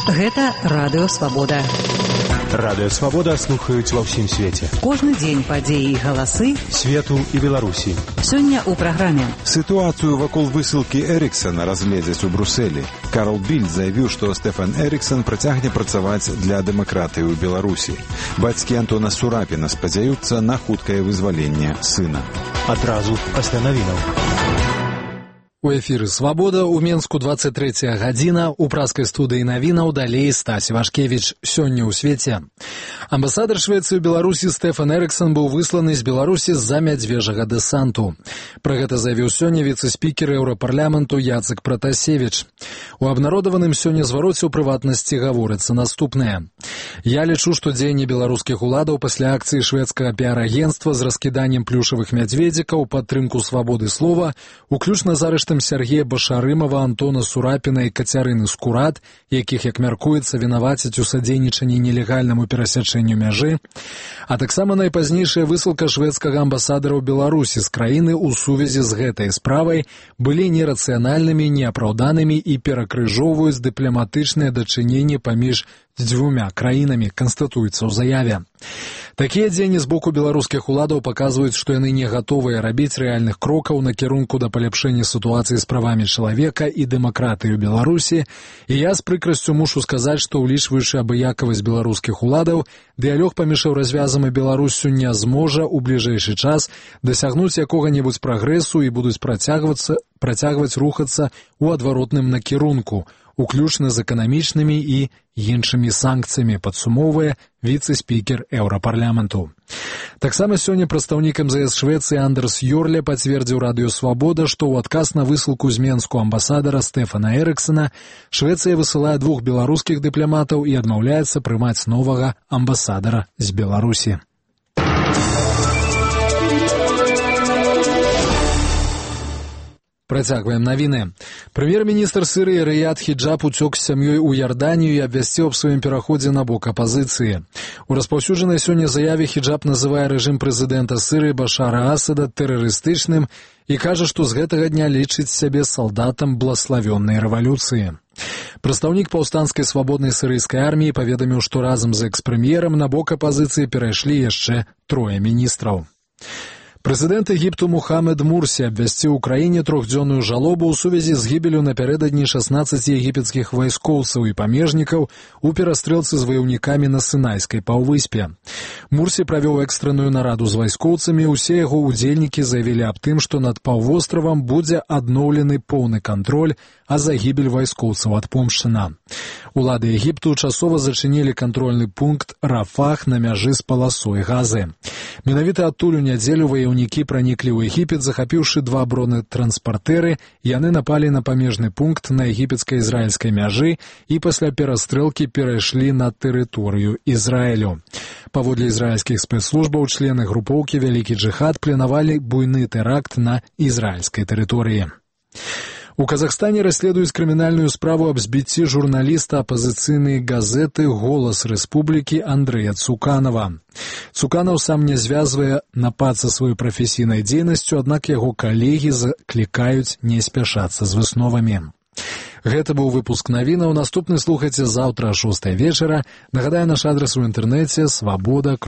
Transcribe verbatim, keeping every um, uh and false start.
Гэта Радыё Свабода. Радыё Свабода слухаюць ва ўсім свеце. Кожны дзень падзеі і галасы свету і Беларусі. Сёння ў праграме. Сітуацыю вакол высылкі Эріксана разгледзяць у Брюсселі. Карл Більд заявіў, што Стэфан Эріксан працягне працаваць для дэмакратыі ў Беларусі. Бацькі Антона Сурапіна спадзяюцца на хуткае вызваленне сына. Адразу пасля навінаў. У эфіры «Свабода» у Менску двадцать третья гадзіна, у праскай студыі навінаў далей Стась Івашкевіч. Сёння ў свеце. Амбасадар Швецыі ў Беларусі Стэфан Эріксан быў высланы з Беларусі з-за мядзвежага дэсанту. Пра гэта заявіў сёння віцэ-спікер Еўрапарламенту Яцек Пратасевіч. У абнародаваным сёння звароце ў прыватнасці гаворыцца наступнае. Я лічу, што дзеянні беларускіх уладаў пасля акцыі шведскага піар-агенцтва з раскіданнем плюшавых мядзведзікаў у падтрымку свабоды слова, уключна з арыштам Сергея Башарымова, Антона Сурапіна і Кацярыны Скурат, якіх, як мяркуецца, вінавацяць у садзейнічанні нелегальнаму перасячэнню мяжы, а таксама найпазнейшая высылка шведскага амбасадара ў Беларусі з краіны ў сувязі з гэтай справай былі нерацыянальнымі, неапраўданымі і перакрыжоўваюць дыпламатычныя дачыненні паміж дзвюмя краінамі, канстатуецца ў заяве. Такія дзеянні з боку беларускіх уладаў паказваюць, што яны не гатовыя рабіць рэальных крокаў на кірунку да паляпшэння сітуацыі з правамі чалавека і дэмакратыі ў Беларусі, і я з прыкрасцю мушу сказаць, што ўлічваючы абыякавасць беларускіх уладаў, дыялог паміж Еўразвязам і Беларуссю не зможа ў бліжэйшы час дасягнуць якога-небудзь прагрэсу і будуць працягвацца, працягваць рухацца ў адваротным накірунку, уключна з эканамічнымі і іншымі санкцыямі, падсумоўвае віцэ-спікер Еўрапарламенту. Таксама сёння прадстаўнік эм зэ эс Швецыі Андерс Йорле пацвердзіў Радыё Свабода, што ў адказ на высылку з Менску амбасадара Стэфана Эріксана Швецыя высылае двух беларускіх дыпламатаў і адмаўляецца прымаць новага амбасадара з Беларусі. Працягваем навіны. Прэм'ер-міністр Сірыі Рыяд Хіджаб уцёк з сям'ёй у Ярданію і абвясціў аб сваім пераходзе на бок апазіцыі. У распаўсюджанай сёння заяве Хіджаб называе рэжым прэзідэнта Сірыі Башара Асада тэрарыстычным і кажа, што з гэтага дня лічыць сябе салдатам блаславённай рэвалюцыі. Прадстаўнік паўстанцкай свабоднай сірыйскай арміі паведаміў, што разам з экс-прэм'ерам на бок апазіцыі перайшлі яшчэ трое міністраў. Прэзідэнт Егіпту Мухаммед Мурсі абвясціў у краіне трохдзённую жалобу ў сувязі з гібелю напярэдадні шаснаццаці егіпецкіх вайскоўцаў і памежнікаў у перастрэлцы з ваяўнікамі на Сынайскай паўвыспе. Мурсі правёў экстранную нараду з вайскоўцамі, усе яго ўдзельнікі заявілі аб тым, што над паўвостравам будзе адноўлены поўны кантроль, а загібель вайскоўцаў адпомшчана. Улады Егіпту часова зачынілі кантрольны пункт Рафах на мяжы з паласой Газы. Менавіта адтуль у нядзелю ваяўнікі праніклі ў Егіпет, захапіўшы два бронетранспартэры, яны напалі на памежны пункт на егіпецка-ізраільскай мяжы і пасля перастрэлкі перайшлі на тэрыторыю Ізраілю. Паводле ізраільскіх спецслужбаў, члены групоўкі «Вялікі джыхад» планавалі буйны тэракт на ізраільскай тэрыторыі. У Казахстане расследуюць крымінальную справу аб збіцці журналіста апазіцыйнай газеты «Голас Рэспублікі» Андрэя Цуканава. Цуканаў сам не звязвае напад са сваёй прафесійнай дзейнасцю, аднак яго калегі заклікаюць не спяшацца з высновамі. Гэта быў выпуск навінаў. Наступны слухайце заўтра о шостай вечара. Нагадаю, наш адрас у інтэрнэце свабода